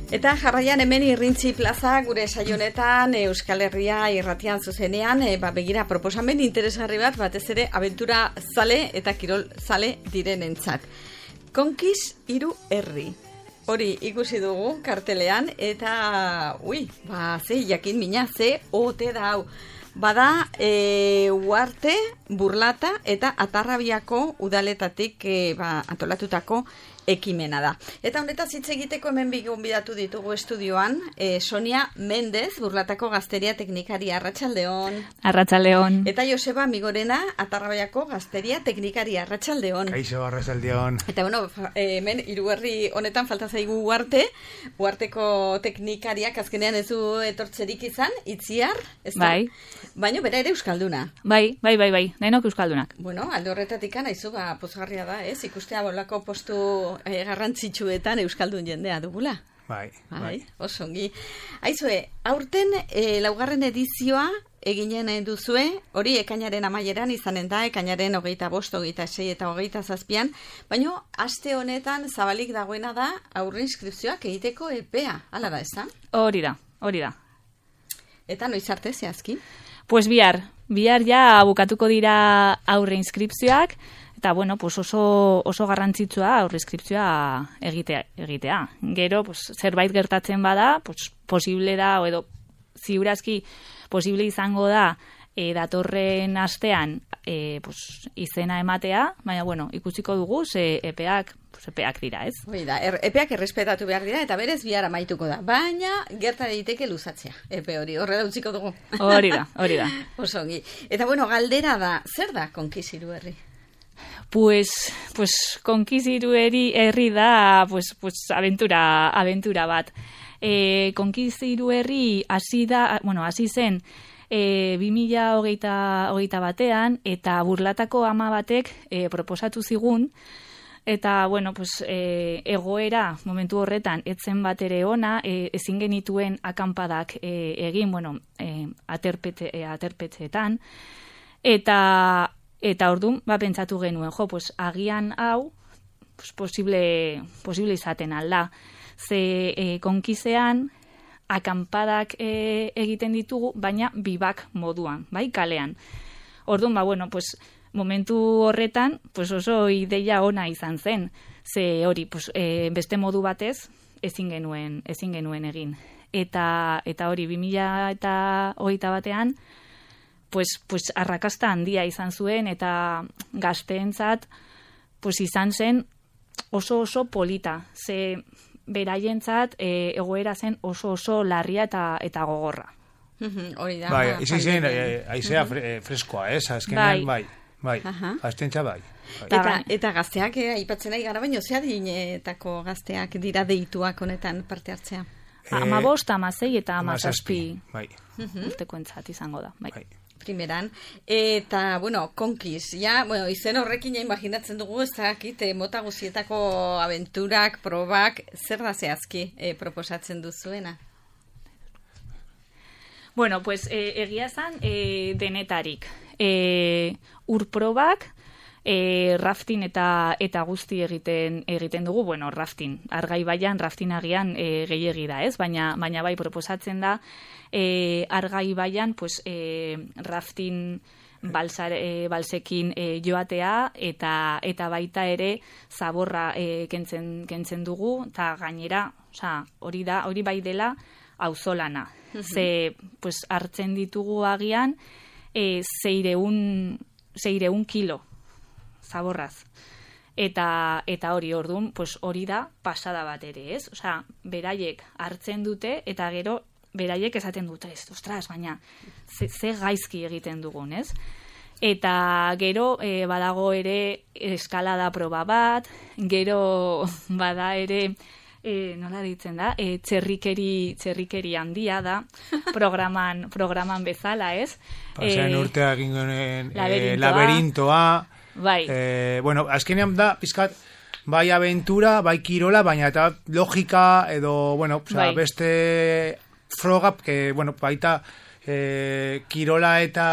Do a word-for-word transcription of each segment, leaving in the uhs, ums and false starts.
Eta jarraian hemen Irrintzi Plaza gure saionetan Euskal Herria irratian zuzenean, e, ba, begira proposamen interesgarri bat, batez ere abentura zale eta kirol zale direnentzat. Konkis hiru herri. Hori ikusi dugu kartelean eta ui, ba, ze jakin mina, ze ote da hau. Bada, e, Uarte, Burlata eta Atarrabiako udaletatik e, ba, antolatutako ekimena da. Eta honetaz hitz egiteko hemen gonbidatu ditugu estudioan, e, Sonia Mendez, Burlatako Gazteria Teknikaria, Arratsaldeon. Arratsaldeon. Eta Joseba Migorena, Atarrabiako Gazteria Teknikaria, Arratsaldeon. Kaixo, Arratsaldeon. Eta bueno, hemen hiru herri honetan falta zaigu Uarte, Uarteko teknikariak azkenean ez du etortzerik izan, Itziar, ez da? Bai. Baina bera ere euskalduna. Bai, bai, bai, bai, denok euskaldunak. Bueno, alde horretatik anaizu, ba, pozgarria da, ez? Ikustea bolako postu eh, garrantzitsuetan euskaldun jendea dugula. Bai, bai. bai. Osongi. Aizue, aurten eh, laugarren edizioa eginen duzue, hori ekainaren amaieran izanen da, ekainaren hogeita bost, hogeita sei eta hogeita zazpian, baina aste honetan zabalik dagoena da aurre inskripzioak egiteko epea, hala da, ez da? Hori da, hori da. Eta noiz arte zehazki? Pues bihar, bihar ja bukatuko dira aurre inskripzioak, eta bueno, pues oso, oso garrantzitsua aurre inskripzioa egitea, egitea. Gero, pues, zerbait gertatzen bada, pues, posible da, o edo ziurazki posible izango da e, datorren astean e, pues, izena ematea, baina bueno, ikusiko dugu, ze epeak, pues, epeak dira, ez? Hoi da, er, epeak errespetatu behar dira, eta berez bihar amaituko da. Baina, gerta daiteke luzatzea, epe hori, horrela utziko dugu. Hori da, hori da. Osongi. Eta bueno, galdera da, zer da Konkis hiru herri? Pues, pues Konkis hiru herri herri da, pues, pues aventura, aventura bat. E, Konkis hiru herri hasi da, bueno, hasi zen, e, bi mila hogeita batean, eta Burlatako ama batek e, proposatu zigun, eta, bueno, pues, e, egoera momentu horretan etzen bat ere ona, e, ezin genituen akanpadak e, egin, bueno, e, aterpete, e, aterpetzeetan, eta eta orduan, ba, pentsatu genuen, jo, pues, agian hau, pues, posible, posible izaten alda. Ze e, Konkisean akampadak e, egiten ditugu, baina bibak moduan, bai, kalean. Orduan, ba, bueno, pues, momentu horretan, pues oso ideia ona izan zen, ze hori, pues, e, beste modu batez, ezin genuen, ezin genuen egin. Eta, eta hori, bi mila hogeita batean, pues, pues arrakasta handia izan zuen, eta gazteentzat, pues, izan zen oso oso polita, ze beraientzat e, egoera zen oso oso larria eta eta gogorra. Hori da. Bai, izan zen, aizea freskoa, ez? Azkenean, bai, bai, aztentza bai. Eta, eta gazteak, eh, aipatzen nahi gara, baino, zea dinetako gazteak dira deituak honetan parte hartzea? Ama bost, ama zei eta ama zazpi bai. urteko entzat izango da, bai. Primeran, eta, bueno, Konkis, ja, bueno, izen horrekin ja imaginatzen dugu, ez dakit, mota guzietako aventurak, probak, zer da zehazki eh, proposatzen duzuena? Bueno, pues, eh, egia zan, eh, denetarik. Eh, urprobak, eh, rafting eta eta guzti egiten egiten dugu, bueno, rafting, Argai baian, rafting agian eh, gehiegi da, ez? Baina, baina bai proposatzen da, eh, Argai baian, pues, eh, rafting balsar, eh, balsekin eh, joatea, eta eta baita ere zaborra eh, kentzen, kentzen dugu, eta gainera, osea, hori da, hori bai dela auzolana. Ze, pues, hartzen ditugu agian, eh, zeireun, zeireun kilo zaborraz. Eta, eta hori orduan, pues, hori da pasada bat ere, ez? Osea, beraiek hartzen dute, eta gero beraiek esaten dute, ez, ostras, baina ze, ze gaizki egiten dugun, ez? Eta gero e, badago ere eskalada proba bat, gero bada ere, e, nola ditzen da, e, txerrikeri, txerrikeri handia da, programan, programan bezala, ez? Pasean e, urtea gingoen laberintoa, e, laberintoa bai. E, bueno, azkenean da, pizkat, bai aventura, bai kirola, baina eta logika edo, bueno, bai. Beste froga, que, bueno, baita e, kirola eta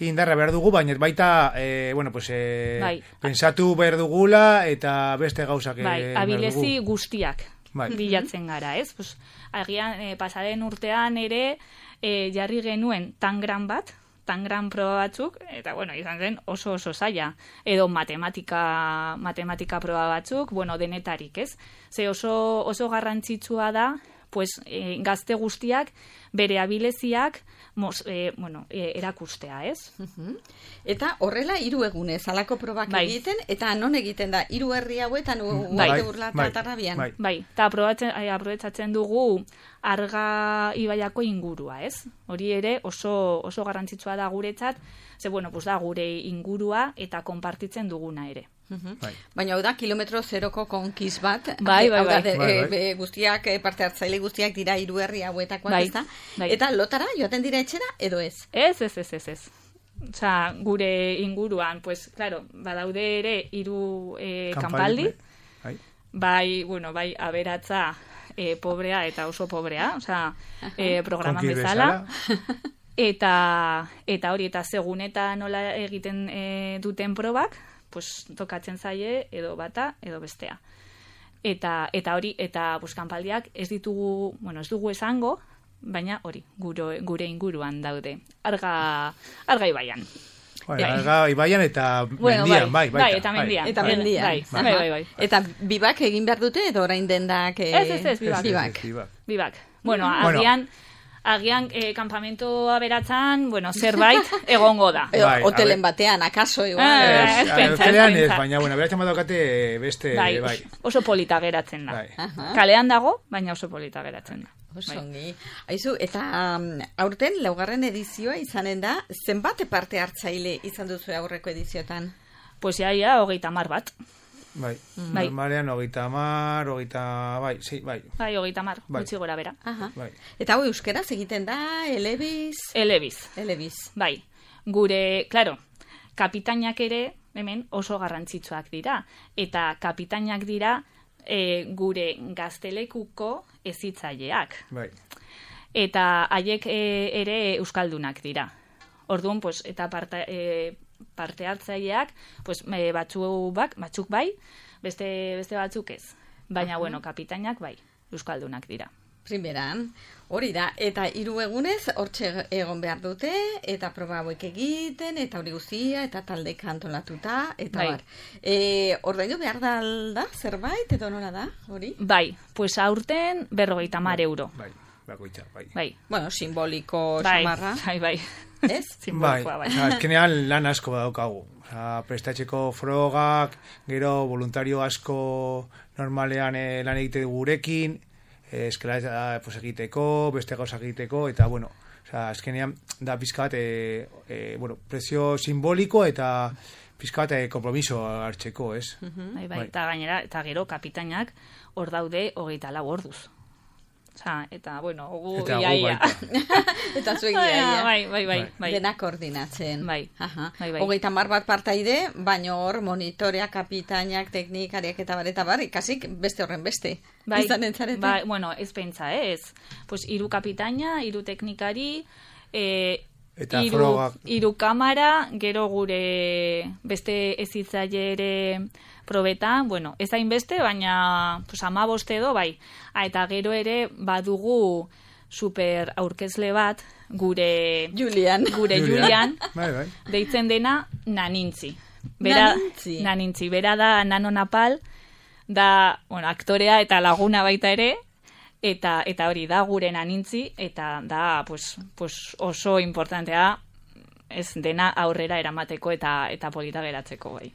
indarra behar dugu, baina baita, e, bueno, pues, e, bai. Pensatu behar dugula eta beste gauzak bai, abilezi guztiak bai. bilatzen gara, ez? Pues, agian, e, pasaren urtean ere e, jarri genuen tangran bat, tangran proba batzuk, eta bueno, izan zen oso oso zaila. Edo matematika, matematika proba batzuk, bueno, denetarik, ez? Ze oso, oso garrantzitsua da, pues, e, gazte guztiak bere abileziak mos, e, bueno, e, erakustea, ez? Uh-huh. Eta horrela hiru egunez alako probak bai. egiten, eta non egiten da, hiru herri hauetan bai. uarte burla bai. eta tarrabian. Bai, bai. Eta aprobetsatzen dugu Arga ibaiako ingurua, ez? Hori ere oso, oso garrantzitsua da guretzat, ze bueno, pues da gure ingurua eta konpartitzen duguna ere. Uh-huh. Bai. Baina hau da kilometro zeroko konkiz bat, Bai, bai, hau da, bai. de, Bai, e, bai. e, guztiak, e, parte hartzaile guztiak dira hiru herri hauetakoak, Bai, ez da? bai. Eta lotara joaten dira etxera edo ez? Ez, ez, ez, ez, ez. Osea, gure inguruan, pues, claro, badaude ere hiru eh, kanpaldi, Bai. bai, bueno, bai, aberatza, eh, pobrea eta oso pobrea, osea, eh, programan Konki bezala. Eta, eta hori, eta segun eta nola egiten eh, duten probak, pues, tokatzen zaie edo bata edo bestea. Eta, eta hori, eta pues, kanpaldiak ez ditugu, bueno, ez dugu esango, baina hori, gure, gure inguruan daude. Arga, arga ibaian. Bai, Bai. Arga ibaian eta Bueno, mendian, bai, bai, baita, bai, eta mendian. Eta Bai, mendian. Bai, Aha. bai, bai, bai. Eta bibak egin behar dute edo orain dendak... E... Ez, ez, ez, bibak. Bibak. Bibak. Bibak. Bueno, Bueno. agian, agian eh, kampamento aberatzan, bueno, zerbait egongo da. Edo, Bai, a hotelen ver. batean, akaso, igual. Ah, eh? ez pentsa, ez hotelean ez, pentsa. baina, bueno, beratzen badaukate beste, Bai, bai. oso polita geratzen da. Bai. Aha. Kalean dago, baina oso polita geratzen da. Oso Bai. ongi. Aizu, eta um, aurten laugarren edizioa izanen da, zenbat parte hartzaile izan duzu aurreko ediziotan? Pues ya, ya, hogeita mar bat. Bai, Bai. normalean, hogeita mar, hogeita, bai, sí, bai, Bai, hogeita mar, Bai. gutxi gora bera. Aha. bai. Eta hau euskeraz egiten da, elebiz, Elebiz. elebiz. Bai, gure, claro, kapitainak ere, hemen oso garrantzitsuak dira. Eta kapitainak dira e, gure gaztelekuko ezitzaileak. Bai. Eta haiek e, ere euskaldunak dira. Orduan, pues, eta parte, e, parte hartzaileak, pues, e, batzuk, bak, batzuk bai, beste, beste batzuk ez. Baina, bueno, kapitainak bai, euskaldunak dira. Primeran, hori da, eta hiru egunez hortxe egon behar dute, eta proba hauek egiten, eta hori guztia, eta talde antolatuta, eta Bai. bar. E, ordaindu behar da alda, zerbait, edo nola da, hori? Bai, pues aurten berrogeita mar euro. Bai, bakoitza, bai. Bai, Bueno, simboliko bai, samarra, bai, bai. ez? Bai, Simbolikoa, bai. osea, azkenean lan asko badaukagu. Osea, prestatzeko frogak, gero voluntario asko normalean eh, lan egite dugu gurekin, eh, eskela pues, egiteko, beste gauza egiteko, eta bueno, osea, azkenean da pizkat, eh, eh, bueno, prezio simboliko eta pizkat eh, kompromiso hartzeko, ez? Bai, bai, Bai. eta gainera, eta gero kapitainak hor daude hogeita lau orduz. Osea, eta, bueno, gu Eta ia, gu ia. baita. Eta zuek Bai, iaia. bai, bai, bai, bai. Dena koordinatzen. Bai, Aha. bai, bai. Hogeita mar bat partaide, baina hor monitoreak, kapitainak, teknikariak eta bar, eta bar, ikasik beste horren beste. Bai, Izan entzarete. bai, bueno, ez pentsa, eh, ez. Pues hiru kapitaina, hiru teknikari, eh, Eta hiru, frogak. hiru kamara, gero gure beste ezitzaile ere probetan, bueno, ez hainbeste, baina pues, hamabost edo, bai. Ah, eta gero ere badugu super aurkezle bat, gure Julian. gure Julian, Bai, bai. deitzen dena Nanintzi. Bera, Nanintzi. Nanintzi. Bera da Nano Napal, da, bueno, aktorea eta laguna baita ere, eta eta hori da gure Nanintzi, eta da, pues, pues oso importantea ez dena aurrera eramateko eta eta polita geratzeko, bai.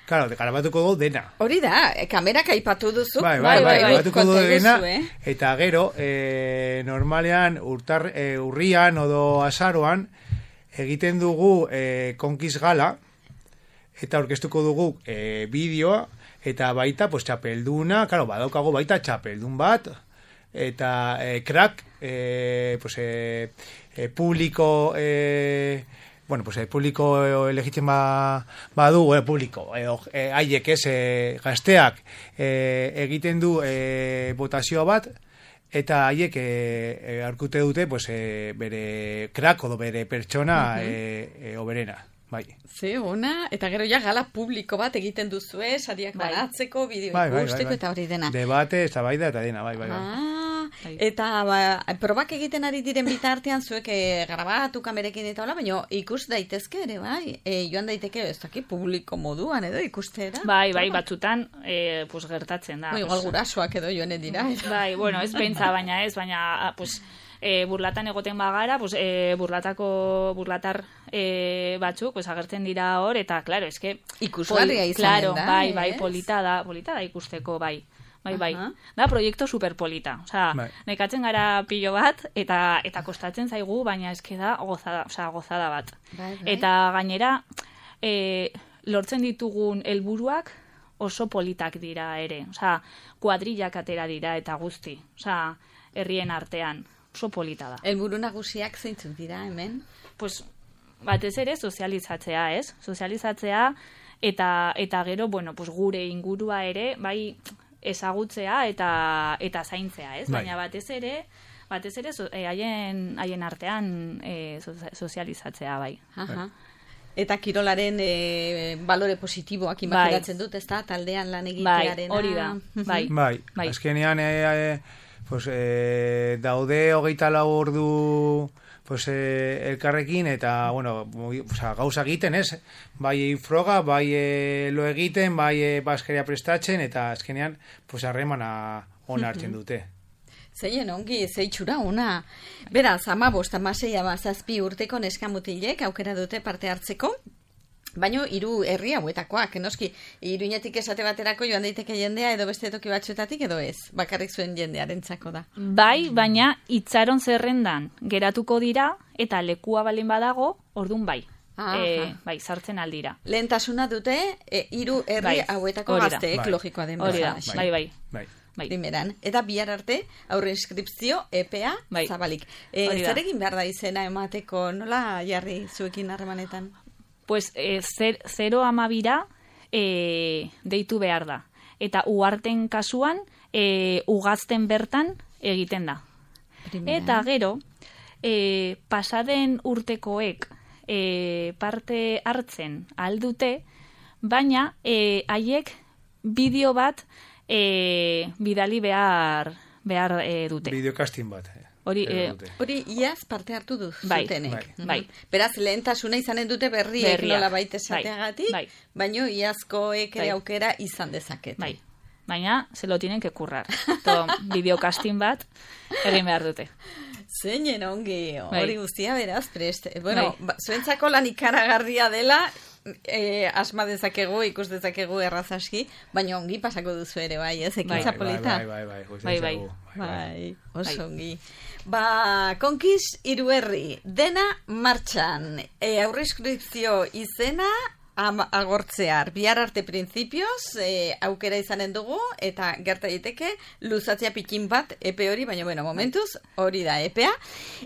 Claro, garabatuko du dena. Hori da, e, kamerak aipatu duzu. Bai, bai, bai, garabatuko du konta dena, duzu, eh? eta gero, eh, normalean, urtar, eh, urrian odo azaroan, egiten dugu eh, konkiz gala, eta orkestuko dugu eh, bideoa, eta baita, pues, txapelduna, claro, badaukago baita txapeldun bat, eta eh, crack, eh, pues, eh, eh, publiko, eh, bueno, pues, eh, publiko elegitzen ba, badu, eh, publiko, edo, eh, haiek ez, eh, gazteak, eh, egiten du eh, botazioa bat, eta haiek eh, eh, arkute dute, pues, eh, bere crack, odo bere pertsona, uh-huh. eh, eh, oberena. bai. Ze, ona, eta gero ja gala publiko bat egiten duzue, sariak bai. banatzeko, bideo bai, bai, ikusteko bai, bai. eta hori dena. Debate, eztabaida eta dena, bai, bai, bai. Ah, bai. eta ba, probak egiten ari diren bitartean zuek e, grabatu kamerekin eta hola, baina ikus daitezke ere, bai? E, joan daiteke, ez daki, publiko moduan edo ikustera. Bai, bai, batzutan, e, pues, gertatzen da. Bai, igual gurasoak edo joanen dira. Bai, bueno, ez bentsa, baina ez, baina, pues, e, burlatan egoten bagara, pues, e, burlatako, burlatar e, batzuk, pues, agertzen dira hor, eta, claro, eske... Ikusgarria poli, izanen claro, da, bai, bai, ez? polita da, polita da ikusteko, bai. Bai, bai. Aha. Da, proiektu superpolita. Osea, Bai. nekatzen gara pilo bat, eta eta kostatzen zaigu, baina eske da gozada, osea, gozada bat. Bai, bai. Eta gainera, e, lortzen ditugun helburuak oso politak dira ere. Osea, kuadrillak atera dira eta guzti. Osea, herrien artean. Oso polita da. Helburu nagusiak zeintzuk dira hemen? Pues, batez ere sozializatzea, ez? Sozializatzea eta eta gero, bueno, pues gure ingurua ere, bai, ezagutzea eta eta zaintzea, ez? Bai. Baina batez ere, batez ere so, eh, haien haien artean eh, sozializatzea, bai. Aha. Eta kirolaren e, balore positiboak imaginatzen dut, ez da? Taldean lan egitearena. Bai, hori da. Bai. Bai, Bai. azkenean e, e, pues, e, daude hogeita lau ordu pues, e, elkarrekin, eta, bueno, oza, gauza egiten, ez? Bai froga, bai e, lo egiten, bai e, baskeria prestatzen, eta azkenean, pues, harremana ona hartzen dute. Zeien ongi, zeitxura ona. Beraz, amabost, amasei, amazazpi urteko neskamutilek aukera dute parte hartzeko, baino hiru herri hauetakoak, noski, Iruñetik esate baterako joan daiteke jendea edo beste toki batzuetatik edo ez, bakarrik zuen jendearentzako da. Bai, baina itxaron zerrendan geratuko dira eta lekua balin badago, ordun bai. Aha. E, bai, sartzen aldira. Lehentasuna dute e, hiru herri Bai, hauetako hori da. gazteek, Bai. logikoa den Hori da, bezala. bai, bai. Bai. Bai. Primeran. Eta bihar arte, aurre inskripzio, epea, Bai. zabalik. E, Hori da. zer egin behar da izena emateko, nola jarri zuekin harremanetan? Pues e, zer, zero amabira e, deitu behar da. Eta uarten kasuan, e, ugazten bertan egiten da. Primeran. Eta gero, e, pasaden urtekoek e, parte hartzen aldute, baina e, haiek bideo bat e, bidali behar, behar e, dute. Bideokastin bat. eh, Hori, edo eh, dute. Hori iaz parte hartu du Bai, zutenek. bai, Mhm. bai. Beraz, lehentasuna izanen dute berriek Berriak, nola baita bai, esateagatik, bai. baino iazkoek ere Bai. aukera izan dezakete. Bai. Baina, se lo tienen que currar. To, bideokastin bat egin behar dute. Zeinen ongi, Bai. hori guztia beraz, prest. Bueno, Bai. ba, zuentzako lan ikaragarria dela, e, asma dezakegu, ikus dezakegu errazaski, baina ongi pasako duzu ere, bai, ez, ekintza Bai, polita. bai, bai, bai, bai, Bai, bai. bai, Bai, oso Bai. ongi. Ba, Konkiz Hiruherri, dena martxan. E, aurreinskripzio izena ama, agortzear. Bihar arte printzipioz, e, aukera izanen dugu, eta gerta daiteke luzatzea pikin bat epe hori, baina bueno, momentuz, hori da epea.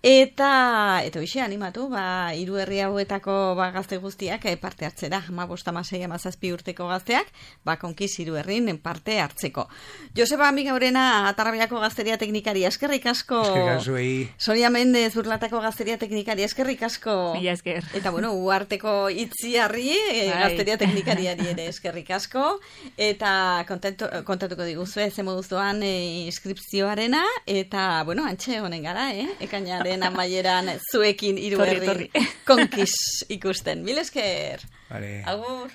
Eta, eta hoxe animatu, ba, Hiruherri hauetako ba, gazte guztiak e, parte hartzera, hamabost, hamasei, hamazazpi urteko gazteak, ba, Konkiz Hiruherrin parte hartzeko. Joseba Amigaurena, Atarrabiako gazteria teknikari, eskerrik asko. Eskerrik azuei. Sonia Mendez, Burlatako gazteria teknikari, eskerrik asko. Mila esker. Eta bueno, uarteko itziarri, e, Bai. gazteria teknikariari ere eskerrik asko. Eta kontentu, kontatuko diguzue, ze moduz doan e, inskripzioarena. Eta, bueno, antxe honen gara, eh? Ekainaren amaieran zuekin Hiruherri Torri, torri. Konkiz ikusten. Mil esker. Vale. Agur.